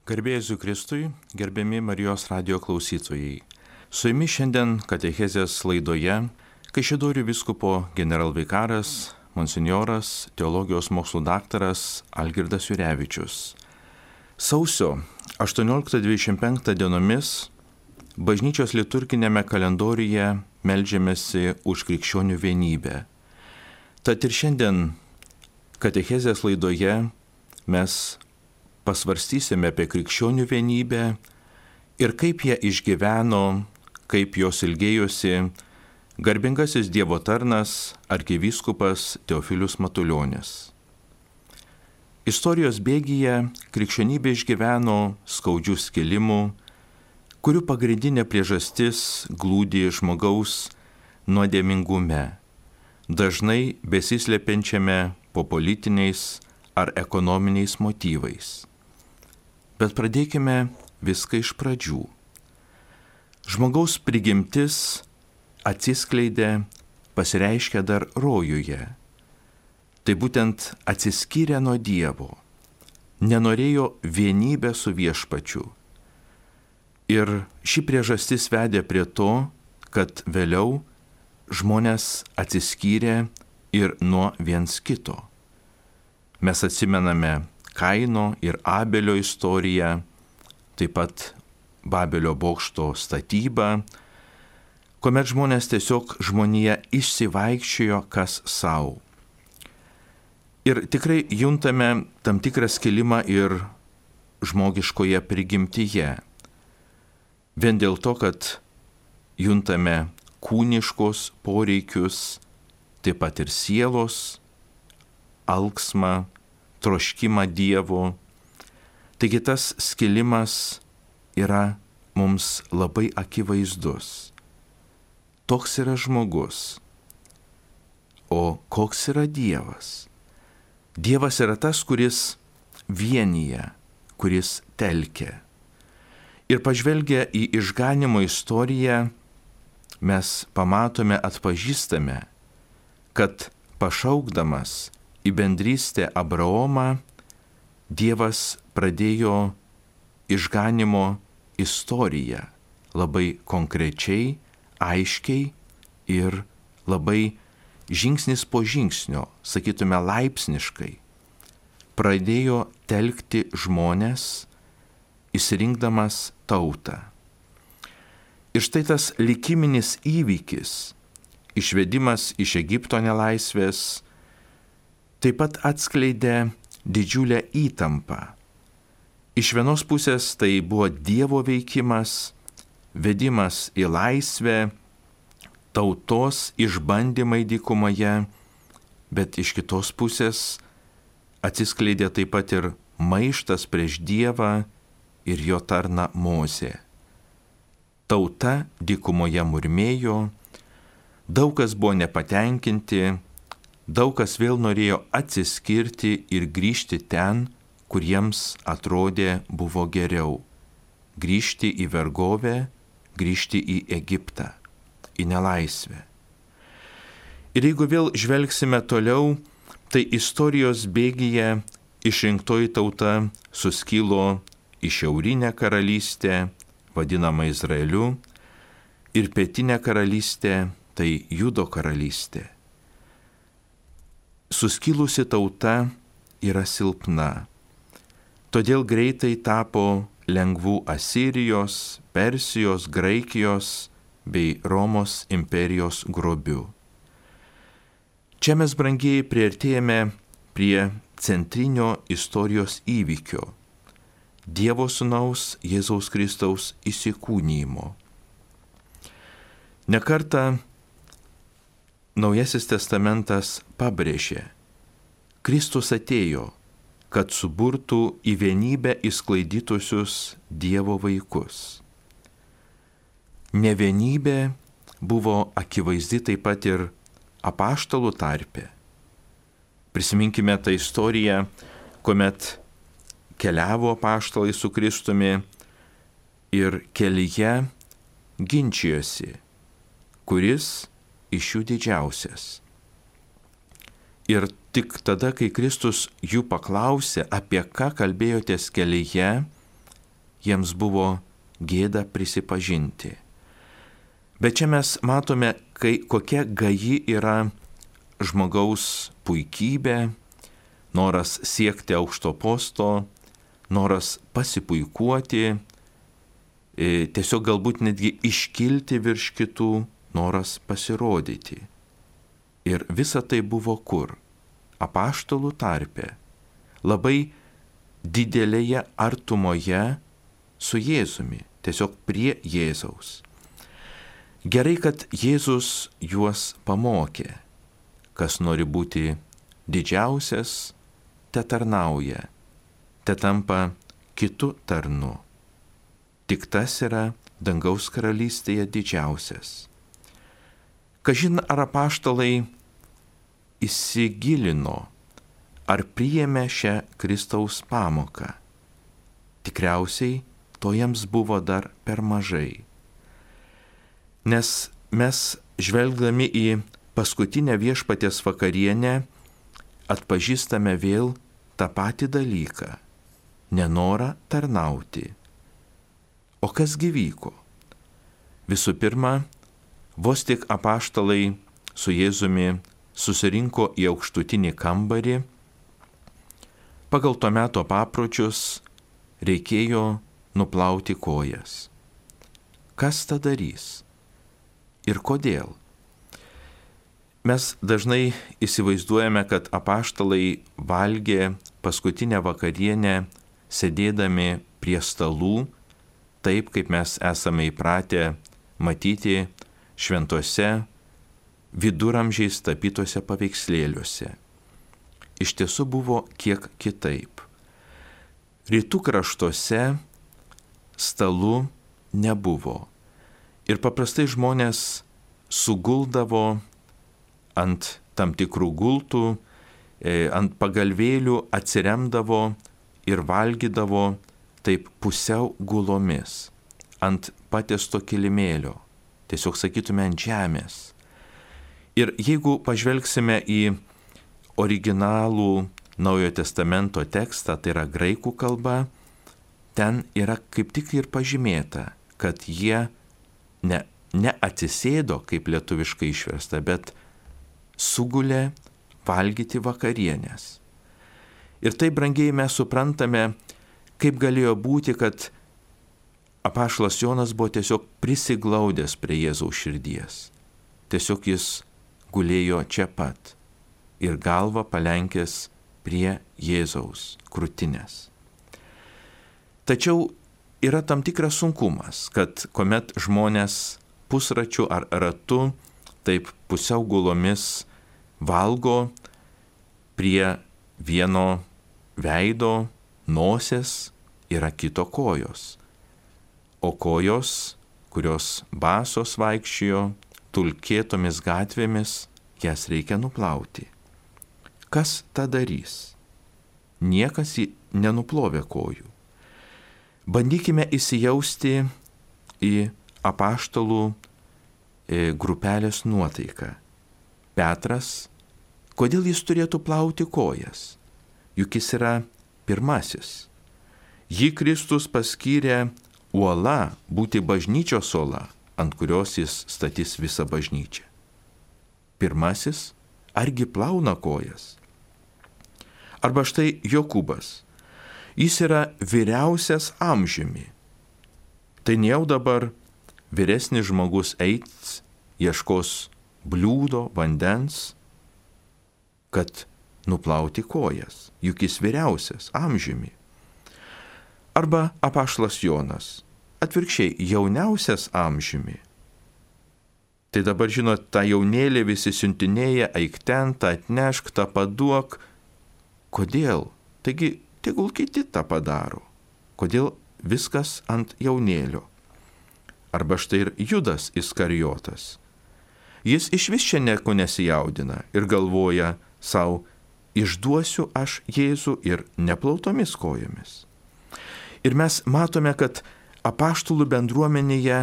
Garbė Jėzui Kristui, gerbiami Marijos radijo klausytojai. Su jumis šiandien katechezės laidoje Kaišiadorių vyskupo generalvikaras, monsinjoras, teologijos mokslų daktaras Algirdas Jurevičius. Sausio 18-25 dienomis bažnyčios liturginėme kalendoriuje meldžiamasi už krikščionių vienybę. Tad ir šiandien katechezės laidoje mes pasvarstysime apie krikščionių vienybę ir kaip jie išgyveno, kaip jos ilgėjosi garbingasis Dievo tarnas arkivyskupas Teofilius Matulionis. Istorijos bėgyje krikščionybė išgyveno skaudžių skilimų, kurių pagrindinė priežastis glūdi žmogaus nuodėmingume, dažnai besislepiančiame po politiniais ar ekonominiais motyvais. Bet pradėkime viską iš pradžių. Žmogaus prigimtis atsiskleidė, pasireiškia dar rojuje. Tai būtent atsiskyrė nuo Dievo, nenorėjo vienybę su viešpačiu. Ir ši priežastis vedė prie to, kad vėliau žmonės atsiskyrė ir nuo viens kito. Mes atsimename Kaino ir Abelio istoriją, taip pat Babelio bokšto statybą, kuomet žmonės tiesiog žmonija išsivaikščiojo kas savo. Ir tikrai juntame tam tikrą skilimą ir žmogiškoje prigimtyje. Vien dėl to, kad juntame kūniškos poreikius, taip pat ir sielos, alksmą, troškimą Dievo. Taigi tas skilimas yra mums labai akivaizdus. Toks yra žmogus. O koks yra Dievas? Dievas yra tas, kuris vienyje, kuris telkia. Ir pažvelgę į išganymo istoriją, mes pamatome, atpažįstame, kad pašaukdamas į bendrystę Abraomą, Dievas pradėjo išganymo istoriją labai konkrečiai, aiškiai ir labai žingsnis po žingsnio, sakytume laipsniškai, pradėjo telkti žmones, išsirinkdamas tautą. Ir štai tas likiminis įvykis, išvedimas iš Egipto nelaisvės, taip pat atskleidė didžiulę įtampą. Iš vienos pusės tai buvo Dievo veikimas, vedimas į laisvę, tautos išbandymai dykumoje, bet iš kitos pusės atsiskleidė taip pat ir maištas prieš Dievą ir jo tarną Mozę. Tauta dykumoje murmėjo, daug kas buvo nepatenkinti, daug kas vėl norėjo atsiskirti ir grįžti ten, kur jiems atrodė buvo geriau. Grįžti į vergovę, grįžti į Egiptą, į nelaisvę. Ir jeigu vėl žvelgsime toliau, tai istorijos bėgyje išrinktoji tauta suskilo į šiaurinę karalystę, vadinamą Izraeliu, ir pietinę karalystę, tai Judo karalystė. Suskilusi tauta yra silpna, todėl greitai tapo lengvų Asirijos, Persijos, Graikijos bei Romos imperijos grobiu. Čia mes, brangieji, priartėjame prie centrinio istorijos įvykio – Dievo Sūnaus Jėzaus Kristaus įsikūnijimo. Ne kartą Naujasis testamentas pabrėžė, Kristus atėjo, kad suburtų į vienybę išsklaidytusius Dievo vaikus. Nevienybė buvo akivaizdi taip pat ir apaštalų tarpe. Prisiminkime tą istoriją, kuomet keliavo apaštalai su Kristumi ir kelyje ginčijosi, kuris iš jų didžiausias. Ir tik tada, kai Kristus jų paklausė, apie ką kalbėjotės kelyje, jiems buvo gėda prisipažinti. Bet čia mes matome, kokia gaji yra žmogaus puikybė, noras siekti aukšto posto, noras pasipuikuoti, tiesiog galbūt netgi iškilti virš kitų, noras pasirodyti. Ir visa tai buvo kur? Apaštalų tarpe, labai didelėje artumoje su Jėzumi, tiesiog prie Jėzaus. Gerai, kad Jėzus juos pamokė. Kas nori būti didžiausias, te tarnauja, te tampa kitu tarnu. Tik tas yra dangaus karalystėje didžiausias. Kažin ar apaštalai įsigilino, ar priėmė šią Kristaus pamoką. Tikriausiai to jiems buvo dar per mažai. Nes mes, žvelgdami į paskutinę viešpaties vakarienę, atpažįstame vėl tą patį dalyką – nenorą tarnauti. O kasgi vyko? Visų pirma, vos tik apaštalai su Jėzumi susirinko į aukštutinį kambarį, pagal to meto papročius reikėjo nuplauti kojas. Kas tą darys? Ir kodėl? Mes dažnai įsivaizduojame, kad apaštalai valgė paskutinę vakarienę sėdėdami prie stalų, taip kaip mes esame įpratę matyti šventuose viduramžiais tapytuose paveikslėliuose. Iš tiesų buvo kiek kitaip. Rytų kraštuose stalų nebuvo. Ir paprastai žmonės suguldavo ant tam tikrų gultų, ant pagalvėlių atsiremdavo ir valgydavo taip pusiau gulomis, ant patiesto kilimėlio, tiesiog sakytume ant žemės. Ir jeigu pažvelgsime į originalų Naujojo Testamento tekstą, tai yra graikų kalba, ten yra kaip tik ir pažymėta, kad jie neatsisėdo, kaip lietuviškai išversta, bet sugulė valgyti vakarienės. Ir tai, brangiai, mes suprantame, kaip galėjo būti, kad apaštalas Jonas buvo tiesiog prisiglaudęs prie Jėzaus širdies. Tiesiog jis gulėjo čia pat ir galvą palenkęs prie Jėzaus krūtinės. Tačiau yra tam tikras sunkumas, kad kuomet žmonės pusračiu ar ratu, taip pusiau gulomis valgo prie vieno veido, nosies yra kito kojos. O kojos, kurios basos vaikščiojo tulkėtomis gatvėmis, jas reikia nuplauti. Kas tą darys? Niekas nenuplovė kojų. Bandykime įsijausti į apaštalų grupelės nuotaiką. Petras, kodėl jis turėtų plauti kojas? Juk jis yra pirmasis. Jį Kristus paskyrė uola būti bažnyčios uola, ant kurios jis statys visą bažnyčią. Pirmasis, argi plauna kojas? Arba štai Jokūbas. Jis yra vyriausias amžiumi. Tai ne jau dabar vyresnis žmogus eis, ieškos bliūdo, vandens, kad nuplauti kojas, juk jis vyriausias amžiumi. Arba apaštalas Jonas, atvirkščiai jauniausias amžiumi. Tai dabar, žinot, tą jaunėlį visi siuntinėja, eik ten, tą atnešk, tą paduok. Kodėl? Taigi, tegul kiti tą padaro. Kodėl viskas ant jaunėlio? Arba štai ir Judas Iskarijotas. Jis išvis čia nieko nesijaudina ir galvoja savo, išduosiu aš Jėzų ir neplautomis kojomis. Ir mes matome, kad apaštalų bendruomenėje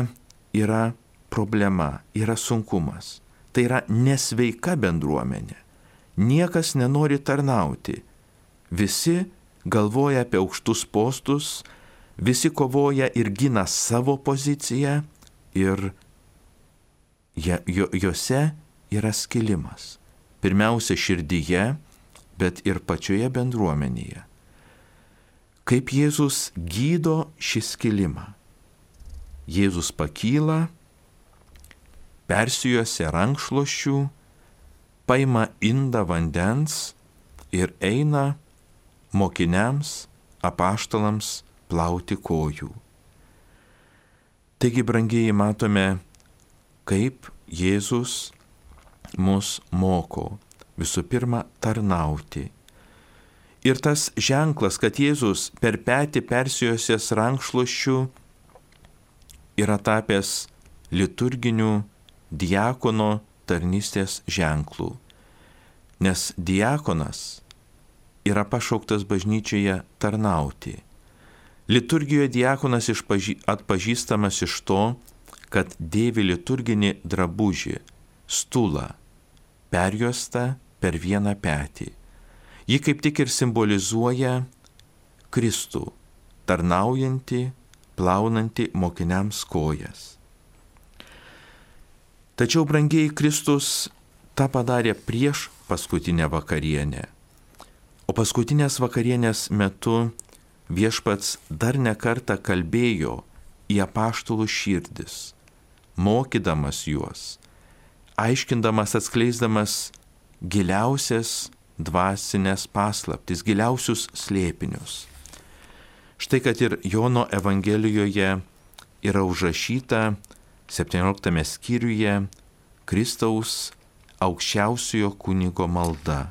yra problema, yra sunkumas. Tai yra nesveika bendruomenė. Niekas nenori tarnauti. Visi galvoja apie aukštus postus, Visi kovoja ir gina savo poziciją ir juose yra skilimas. Pirmiausia širdyje, bet ir pačioje bendruomenėje. Kaip Jėzus gydo šį skilimą. Jėzus pakyla, persijuosia rankšluosčių, paima indą vandens ir eina mokiniams, apaštalams plauti kojų. Taigi, brangieji, matome, kaip Jėzus mus moko visų pirma tarnauti. Ir tas ženklas, kad Jėzus per petį persijuosęs rankšluosčių yra tapęs liturginių diakono tarnystės ženklų. Nes diakonas yra pašauktas bažnyčioje tarnauti. Liturgijoje diakonas atpažįstamas iš to, kad dėvi liturginį drabužį, stulą, perjuostą per vieną petį. Ji kaip tik ir simbolizuoja Kristų, tarnaujantį, plaunantį mokiniams kojas. Tačiau, brangieji, Kristus tą padarė prieš paskutinę vakarienę. O paskutinės vakarienės metu Viešpats dar ne kartą kalbėjo į apaštalų širdis, mokydamas juos, aiškindamas, atskleisdamas giliausias dvasinės paslaptis, giliausius slėpinius. Štai kad ir Jono Evangelijoje yra užrašyta 17 skyriuje Kristaus aukščiausiojo kunigo malda.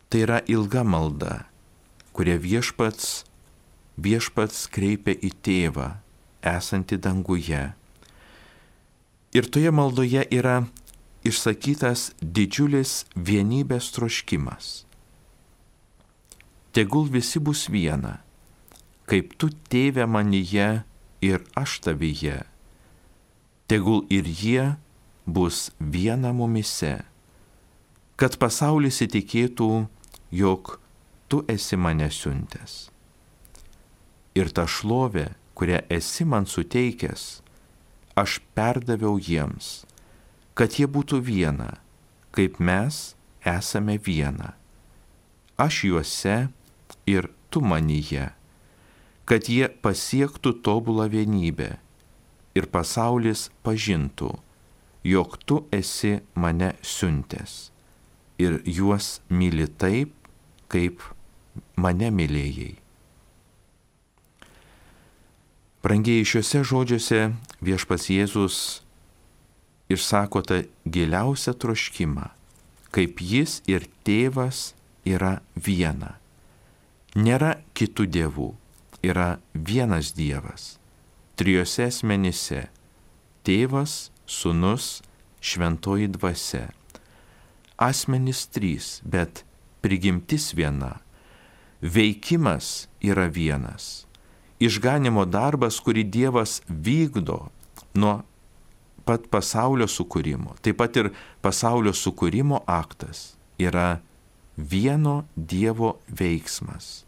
Tai yra ilga malda, kurią viešpats kreipia į Tėvą, esantį danguje. Ir toje maldoje yra išsakytas didžiulis vienybės troškimas. Tegul visi bus viena, kaip tu, Tėve, manyje ir aš tavyje. Tegul ir jie bus viena mumise, kad pasaulis įtikėtų, jog tu esi mane siuntęs. Ir tą šlovę, kurią esi man suteikęs, aš perdaviau jiems, kad jie būtų viena, kaip mes esame viena. Aš juose ir tu manyje, kad jie pasiektų tobulą vienybę ir pasaulis pažintų, jog tu esi mane siuntęs ir juos myli taip, kaip mane mylėjai. Brangieji, šiuose žodžiuose Viešpats Jėzus išsako tą giliausią troškimą, kaip jis ir Tėvas yra viena. Nėra kitų dievų, yra vienas Dievas, trijose asmenyse - Tėvas, Sūnus, Šventoji Dvasia. Asmenys trys, bet prigimtis viena. Veikimas yra vienas. Išganimo darbas, kurį Dievas vykdo nuo pat pasaulio sukūrimo, taip pat ir pasaulio sukūrimo aktas yra vieno Dievo veiksmas.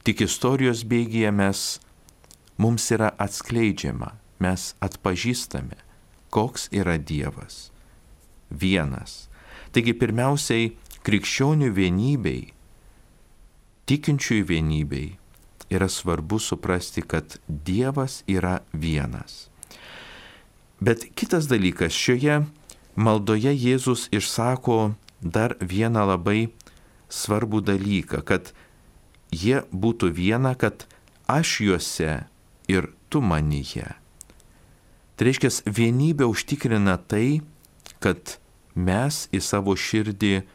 Tik istorijos bėgyje mums yra atskleidžiama, mes atpažįstame, koks yra Dievas. Vienas. Taigi pirmiausiai krikščionių vienybei, tikinčiųjų vienybei yra svarbu suprasti, kad Dievas yra vienas. Bet kitas dalykas, šioje maldoje Jėzus išsako dar vieną labai svarbų dalyką, kad jie būtų viena, kad aš juose ir tu manyje. Tai reiškia, vienybė užtikrina tai, kad mes į savo širdį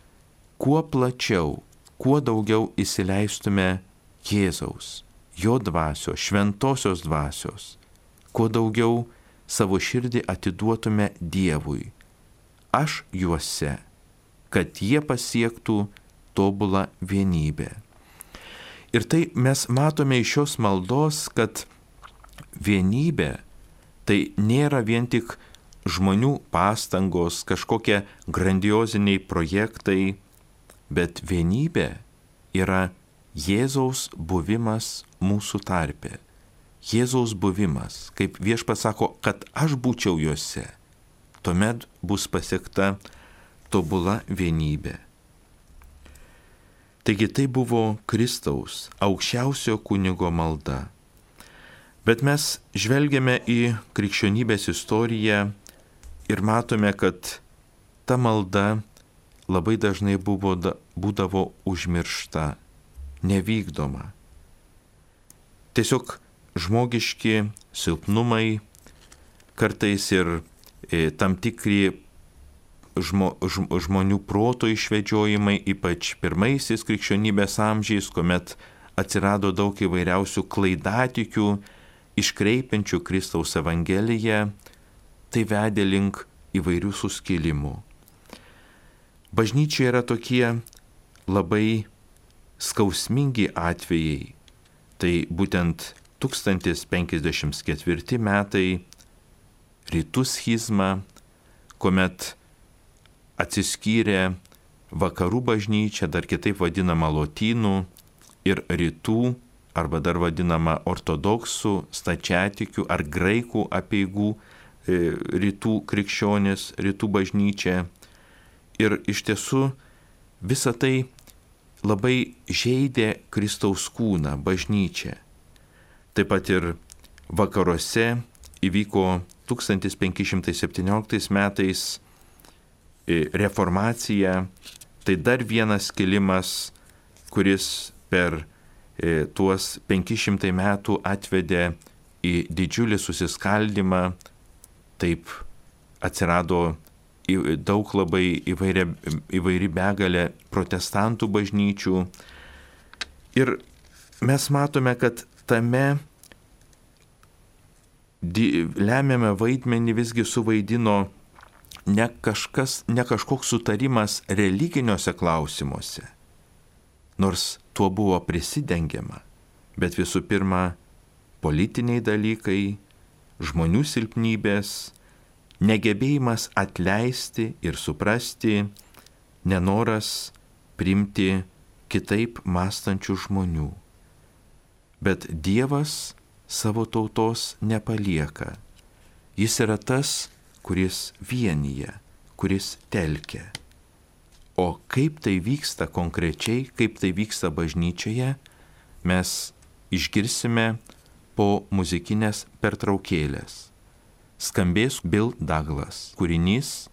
kuo plačiau, kuo daugiau įsileistume Jėzaus, jo dvasios, šventosios dvasios, kuo daugiau savo širdį atiduotume Dievui. Aš juose, kad jie pasiektų tobulą vienybę. Ir tai mes matome iš šios maldos, kad vienybė tai nėra vien tik žmonių pastangos, kažkokie grandioziniai projektai, bet vienybė yra Jėzaus buvimas mūsų tarpe. Jėzaus buvimas, kaip Viešpats sako, kad aš būčiau juose, tuomet bus pasiekta tobula vienybė. Taigi tai buvo Kristaus aukščiausio kunigo malda. Bet mes žvelgiame į krikščionybės istoriją ir matome, kad ta malda labai dažnai būdavo užmiršta, nevykdoma. Tiesiog žmogiški silpnumai, kartais ir tam tikri žmonių proto išvedžiojimai, ypač pirmaisiais krikščionybės amžiais, kuomet atsirado daug įvairiausių klaidatikių, iškreipiančių Kristaus Evangeliją, tai vedė link įvairių suskilimų. Bažnyčioje yra tokie labai skausmingi atvejai. Tai būtent 1054 metai rytų schizma, kuomet atsiskyrė vakarų bažnyčia, dar kitaip vadinama lotynų, ir rytų, arba dar vadinama ortodoksų, stačiatikių ar graikų apeigų rytų krikščionys, rytų bažnyčia. Ir iš tiesų visa tai labai žeidė Kristaus kūną, bažnyčią. Taip pat ir vakaruose įvyko 1517 metais reformacija, tai dar vienas skilimas, kuris per tuos 500 metų atvedė į didžiulį susiskaldimą. Taip atsirado daug labai įvairi begalė protestantų bažnyčių. Ir mes matome, kad tame lemiame vaidmenį visgi suvaidino ne kažkoks sutarimas religiniuose klausimuose, nors tuo buvo prisidengiama, bet visų pirma politiniai dalykai, žmonių silpnybės, negebėjimas atleisti ir suprasti, nenoras priimti kitaip mąstančių žmonių. Bet Dievas savo tautos nepalieka. Jis yra tas, kuris vienyje, kuris telkia. O kaip tai vyksta konkrečiai, kaip tai vyksta bažnyčioje, mes išgirsime po muzikinės pertraukėlės. Skambės Bill Douglas kūrinys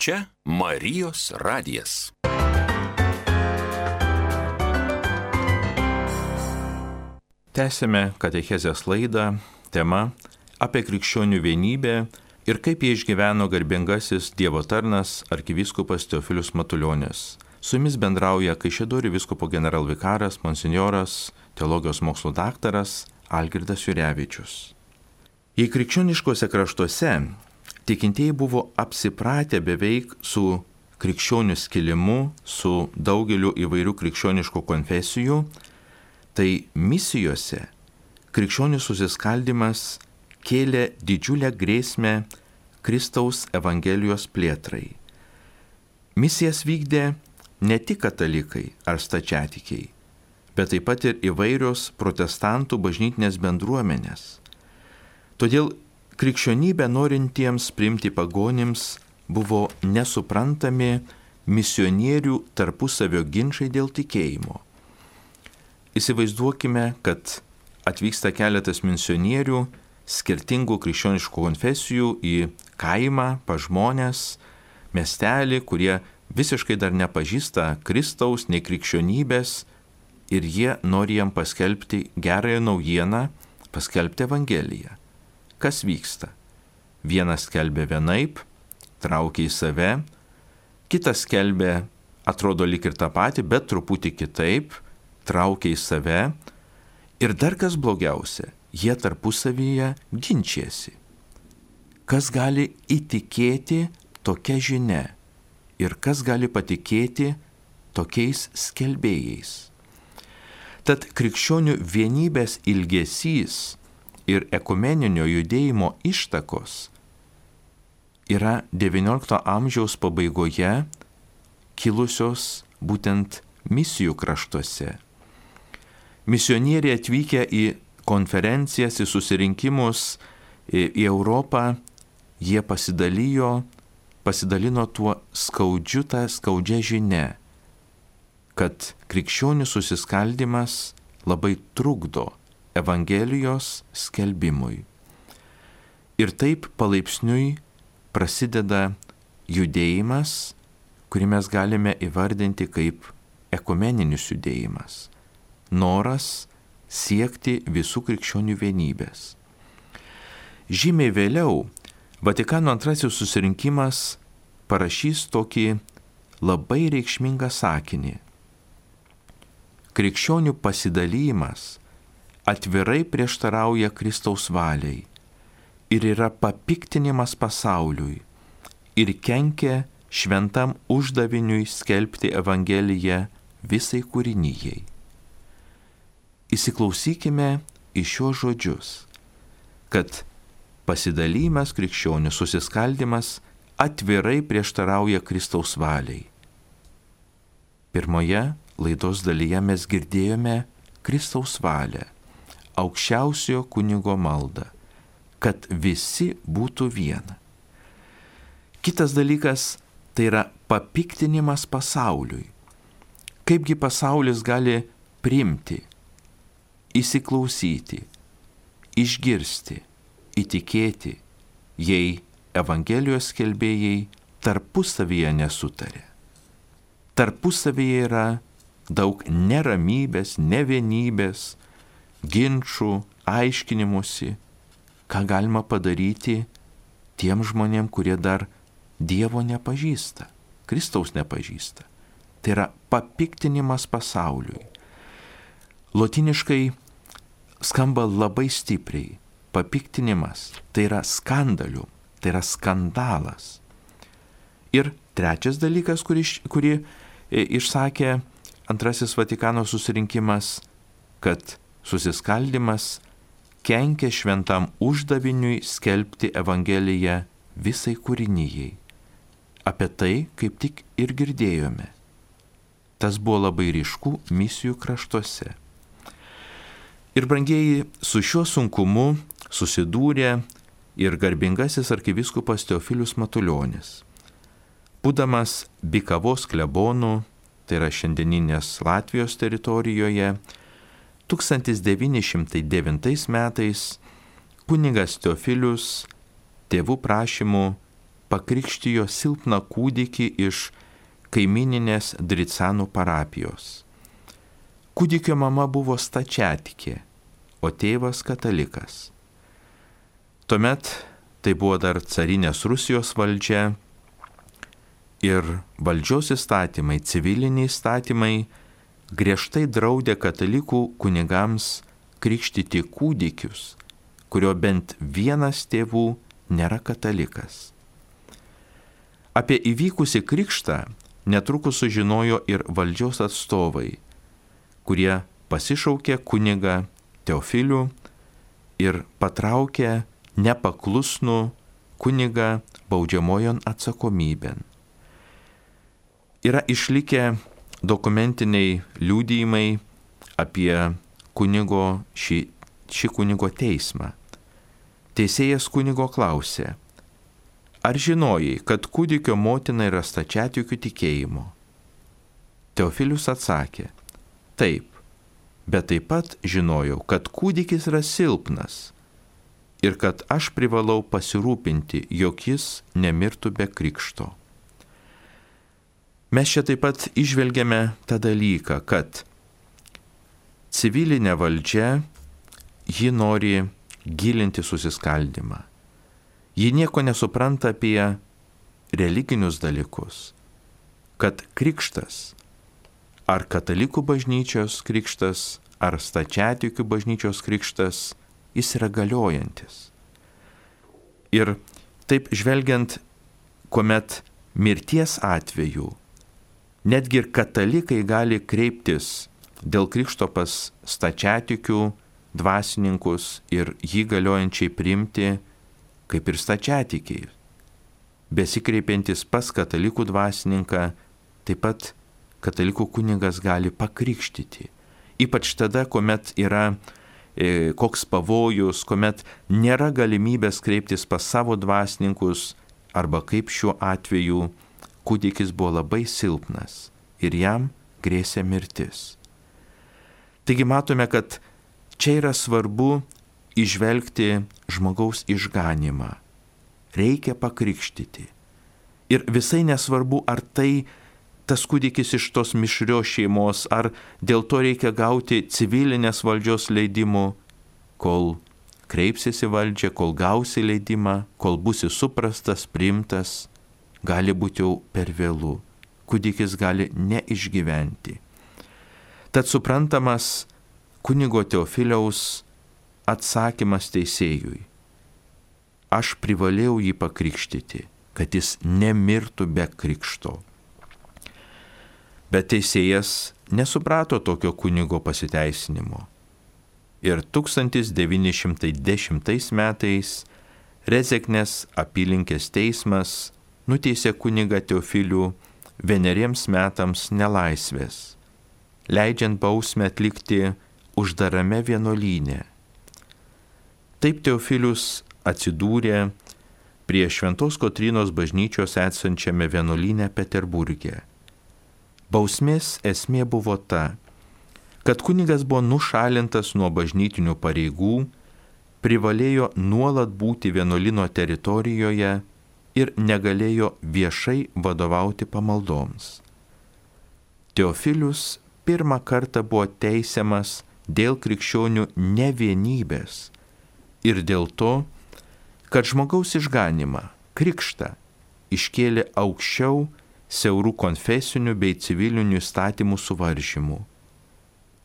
Čia Marijos radijas. Tęsime katechezės laidą, tema apie krikščionių vienybę ir kaip jie išgyveno garbingasis Dievo tarnas arkivyskupas Teofilius Matulionis. Su jumis bendrauja Kaišiadorių vyskupo generalvikaras, monsinjoras, teologijos mokslų daktaras Algirdas Jurevičius. Jei krikščioniškose kraštuose tikintieji buvo apsipratę beveik su krikščionių skilimu, su daugeliu įvairių krikščioniškų konfesijų, tai misijose krikščionių susiskaldimas kėlė didžiulę grėsmę Kristaus Evangelijos plėtrai. Misijas vykdė ne tik katalikai ar stačiatikiai, bet taip pat ir įvairios protestantų bažnytinės bendruomenės. Todėl krikščionybę norintiems priimti pagonims buvo nesuprantami misionierių tarpusavio ginčai dėl tikėjimo. Įsivaizduokime, kad atvyksta keletas misionierių skirtingų krikščioniškų konfesijų į kaimą, pas žmonės, miestelį, kurie visiškai dar nepažįsta Kristaus, nei krikščionybės, ir jie nori jam paskelbti gerąją naujieną, paskelbti Evangeliją. Kas vyksta? Vienas skelbia vienaip, traukia į save, kitas skelbia, atrodo lyg ir tą patį, bet truputį kitaip, traukia į save, ir dar kas blogiausia, jie tarpusavyje ginčiasi. Kas gali įtikėti tokia žinia ir kas gali patikėti tokiais skelbėjais? Tad krikščionių vienybės ilgesys ir ekumeninio judėjimo ištakos yra XIX amžiaus pabaigoje kilusios būtent misijų kraštuose. Misionieriai atvykę į konferencijas, į susirinkimus į Europą, jie pasidalino tuo skaudžia žinia, kad krikščionių susiskaldimas labai trukdo Evangelijos skelbimui. Ir taip palaipsniui prasideda judėjimas, kurį mes galime įvardinti kaip ekumeninis judėjimas. Noras siekti visų krikščionių vienybės. Žymiai vėliau Vatikano antrasis susirinkimas parašys tokį labai reikšmingą sakinį. Krikščionių pasidalymas atvirai prieštarauja Kristaus valiai ir yra papiktinimas pasauliui ir kenkia šventam uždaviniui skelbti Evangeliją visai kūrinijai. Įsiklausykime į šios žodžius, kad pasidalymas krikščionių susiskaldimas atvirai prieštarauja Kristaus valiai. Pirmoje laidos dalyje mes girdėjome Kristaus valią, aukščiausiojo kunigo maldą, kad visi būtų viena. Kitas dalykas tai yra papiktinimas pasauliui. Kaipgi pasaulis gali priimti, įsiklausyti, išgirsti, įtikėti, jei Evangelijos skelbėjai tarpusavyje nesutarė. Tarpusavyje yra daug neramybės, nevienybės, ginčų, aiškinimusi, ką galima padaryti tiem žmonėm, kurie dar Dievo nepažįsta, Kristaus nepažįsta. Tai yra papiktinimas pasauliui. Lotyniškai skamba labai stipriai. Papiktinimas tai yra skandalium, tai yra skandalas. Ir trečias dalykas, kurį išsakė antrasis Vatikano susirinkimas, kad susiskaldimas kenkia šventam uždaviniui skelbti Evangeliją visai kūrinijai. Apie tai kaip tik ir girdėjome. Tas buvo labai ryšku misijų kraštuose. Ir brangieji, su šiuo sunkumu susidūrė ir garbingasis arkivyskupas Teofilius Matulionis. Būdamas Bikavos klebonu, tai yra šiandieninės Latvijos teritorijoje, 1909 metais kunigas Teofilius tėvų prašymų pakrikštijo silpną kūdikį iš kaimininės Dricanų parapijos. Kūdikio mama buvo stačiatikė, o tėvas katalikas. Tuomet tai buvo dar carinės Rusijos valdžia ir valdžios įstatymai, civiliniai įstatymai griežtai draudė katalikų kunigams krikštyti kūdikius, kurio bent vienas tėvų nėra katalikas. Apie įvykusį krikštą netrukus sužinojo ir valdžios atstovai, kurie pasišaukė kunigą Teofilių ir patraukė nepaklusnų kunigą baudžiamojon atsakomybėn. Yra išlikę dokumentiniai liudijimai apie šį kunigo teismą. Teisėjas kunigo klausė: ar žinojai, kad kūdikio motina yra stačiatikių tikėjimo? Teofilius atsakė: taip, bet taip pat žinojau, kad kūdikis yra silpnas ir kad aš privalau pasirūpinti, jog jis nemirtų be krikšto. Mes čia taip pat įžvelgiame tą dalyką, kad civilinė valdžia, ji nori gilinti susiskaldimą. Ji nieko nesupranta apie religinius dalykus, kad krikštas, ar katalikų bažnyčios krikštas, ar stačiatikių bažnyčios krikštas, jis yra galiojantis. Ir taip žvelgiant, kuomet mirties atveju netgi ir katalikai gali kreiptis dėl krikšto pas stačiatikių dvasininkus ir jį galiojančiai priimti kaip ir stačiatikiai. Besikreipiantis pas katalikų dvasininką, taip pat katalikų kunigas gali pakrikštyti. Ypač tada, kuomet yra koks pavojus, kuomet nėra galimybės kreiptis pas savo dvasininkus, arba kaip šiuo atveju kūdikis buvo labai silpnas ir jam grėsė mirtis. Taigi matome, kad čia yra svarbu įžvelgti žmogaus išganymą. Reikia pakrikštyti. Ir visai nesvarbu, ar tas kūdikis iš tos mišrios šeimos, ar dėl to reikia gauti civilinės valdžios leidimų, kol kreipsiesi valdžią, kol gausi leidimą, kol būsi suprastas, priimtas, gali būti jau per vėlų. Kūdikis gali neišgyventi. Tad suprantamas kunigo Teofiliaus atsakymas teisėjui: aš privalėjau jį pakrikštyti, kad jis nemirtų be krikšto. Bet teisėjas nesuprato tokio kunigo pasiteisinimo. Ir 1910 metais Rezeknės apylinkės teismas nuteisė kunigą Teofilių 1 metams nelaisvės, leidžiant bausmę atlikti uždarame vienuolyne. Taip Teofilius atsidūrė prie Šventos Kotrynos bažnyčios esančiame vienuolyne Peterburge. Bausmės esmė buvo ta, kad kunigas buvo nušalintas nuo bažnytinių pareigų, privalėjo nuolat būti vienuolyno teritorijoje ir negalėjo viešai vadovauti pamaldoms. Teofilius pirmą kartą buvo teisiamas dėl krikščionių nevienybės ir dėl to, kad žmogaus išganymą, krikštą, iškėlė aukščiau siaurų konfesinių bei civilinių įstatymų suvaržymų.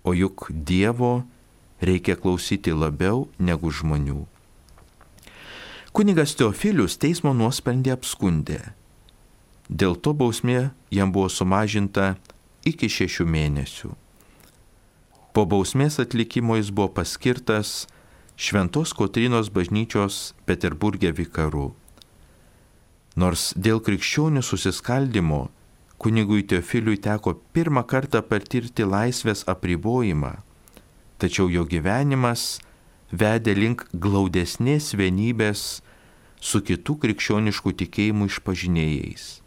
O juk Dievo reikia klausyti labiau negu žmonių. Kunigas Teofilius teismo nuosprendį apskundė. Dėl to bausmė jam buvo sumažinta iki 6 mėnesių. Po bausmės atlikimo jis buvo paskirtas Šventos Kotrynos bažnyčios Peterburge vikaru. Nors dėl krikščionių susiskaldimo kunigui Teofiliui teko pirmą kartą patirti laisvės apribojimą, tačiau jo gyvenimas vedė link glaudesnės vienybės su kitų krikščioniškų tikėjimų išpažinėjais.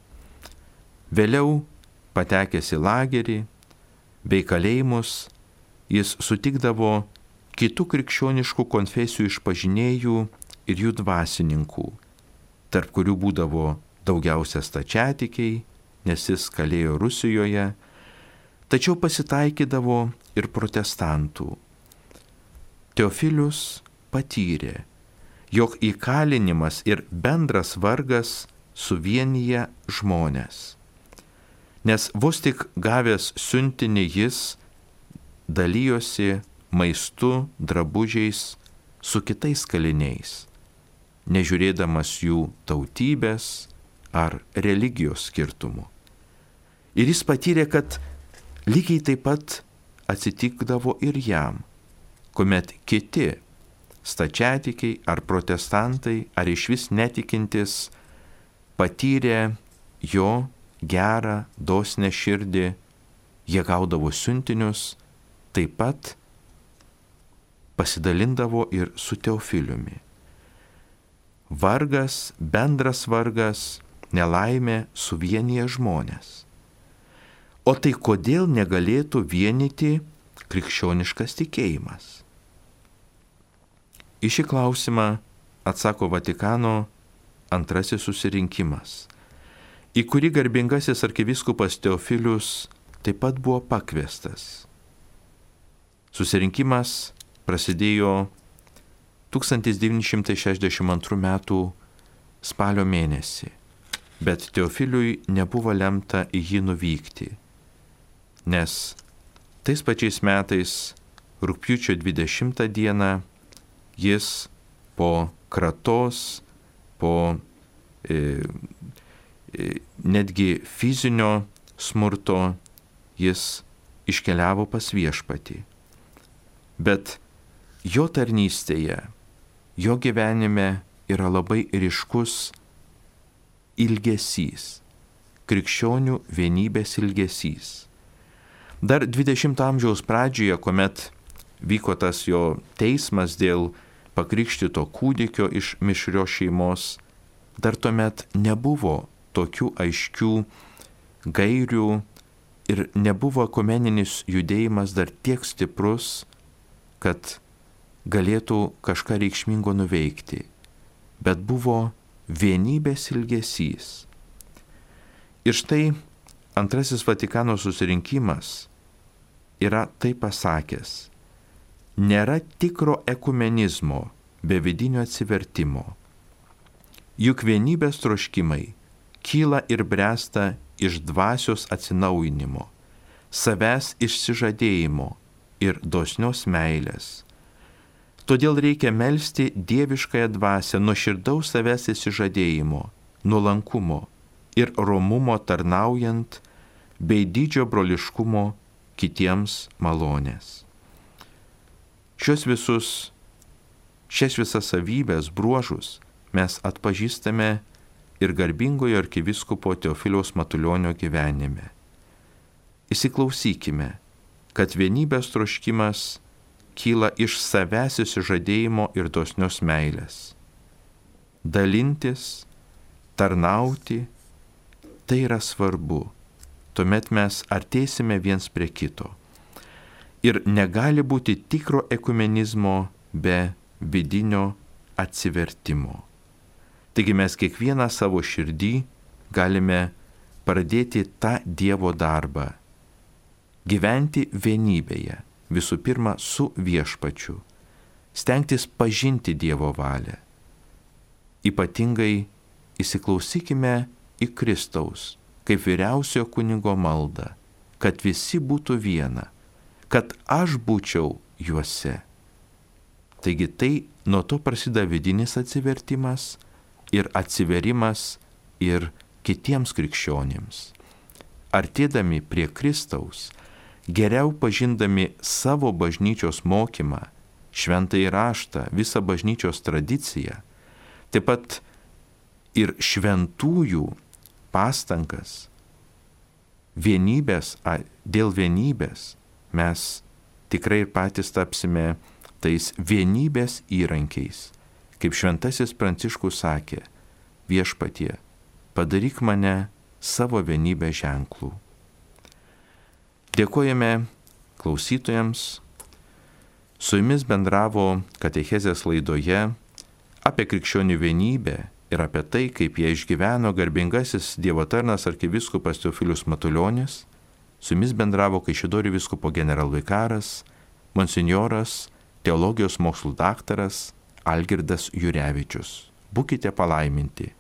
Vėliau, patekęs į lagerį bei kalėjimus, jis sutikdavo kitų krikščioniškų konfesijų išpažinėjų ir jų dvasininkų, tarp kurių būdavo daugiausia stačiatikiai, nes jis kalėjo Rusijoje, tačiau pasitaikydavo ir protestantų. Teofilius patyrė, jog įkalinimas ir bendras vargas suvienyje žmonės. Nes vos tik gavęs siuntinį jis dalyjosi maistu, drabužiais su kitais kaliniais, nežiūrėdamas jų tautybės ar religijos skirtumų. Ir jis patyrė, kad lygiai taip pat atsitikdavo ir jam, kuomet kiti stačiatikiai ar protestantai ar išvis netikintis patyrė jo gerą, dosnią širdį, jie gaudavo siuntinius, taip pat pasidalindavo ir su Teofiliumi. Vargas, bendras vargas, nelaimė suvienyje žmonės. O tai kodėl negalėtų vienyti krikščioniškas tikėjimas? Į šį klausimą atsako Vatikano antrasis susirinkimas, į kurį garbingasis arkivyskupas Teofilius taip pat buvo pakviestas. Susirinkimas prasidėjo 1962 m. spalio mėnesį, bet Teofiliui nebuvo lemta į jį nuvykti, nes tais pačiais metais rugpjūčio 20 dieną jis po kratos, po netgi fizinio smurto jis iškeliavo pas Viešpatį. Bet jo tarnystėje, jo gyvenime yra labai ryškus ilgesys, krikščionių vienybės ilgesys. Dar 20 amžiaus pradžioje, kuomet vyko tas jo teismas dėl pakrikštito kūdikio iš mišrios šeimos, dar tuomet nebuvo tokių aiškių gairių ir nebuvo ekumeninis judėjimas dar tiek stiprus, kad galėtų kažką reikšmingo nuveikti, bet buvo vienybės ilgesys. Ir štai antrasis Vatikano susirinkimas yra taip pasakęs: nėra tikro ekumenizmo be vidinio atsivertimo. Juk vienybės troškimai kyla ir bręsta iš dvasios atsinaujinimo, savęs išsižadėjimo ir dosnios meilės. Todėl reikia melsti dieviškąją dvasią nuoširdaus savęs išsižadėjimo, nuolankumo ir romumo tarnaujant, bei didžio broliškumo kitiems malonės. Šias visas savybės, bruožus mes atpažįstame ir garbingojo arkivyskupo Teofiliaus Matulionio gyvenime. Įsiklausykime, kad vienybės troškimas kyla iš savęs išsižadėjimo ir dosnios meilės. Dalintis, tarnauti, tai yra svarbu. Tuomet mes artėsime viens prie kito. Ir negali būti tikro ekumenizmo be vidinio atsivertimo. Taigi mes kiekvieną savo širdį galime pradėti tą Dievo darbą. Gyventi vienybėje, visų pirma su Viešpačiu. Stengtis pažinti Dievo valią. Ypatingai įsiklausykime į Kristaus, kaip vyriausiojo kunigo maldą, kad visi būtų viena, kad aš būčiau juose. Taigi tai nuo to prasideda vidinis atsivertimas ir atsiverimas ir kitiems krikščionims. Artėdami prie Kristaus, geriau pažindami savo bažnyčios mokymą, šventąjį raštą, visą bažnyčios tradiciją, taip pat ir šventųjų pastangas, dėl vienybės mes tikrai ir patys tapsime tais vienybės įrankiais. Kaip šventasis Pranciškus sakė: Viešpatie, padaryk mane savo vienybės ženklų. Dėkojame klausytojams. Su jumis bendravo katechezės laidoje apie krikščionių vienybę ir apie tai, kaip jie išgyveno garbingasis Dievo tarnas arkivyskupas Teofilius Matulionis, su jumis bendravo Kaišiadorių vyskupo generalvikaras, monsinjoras, teologijos mokslų daktaras Algirdas Jurevičius. Būkite palaiminti.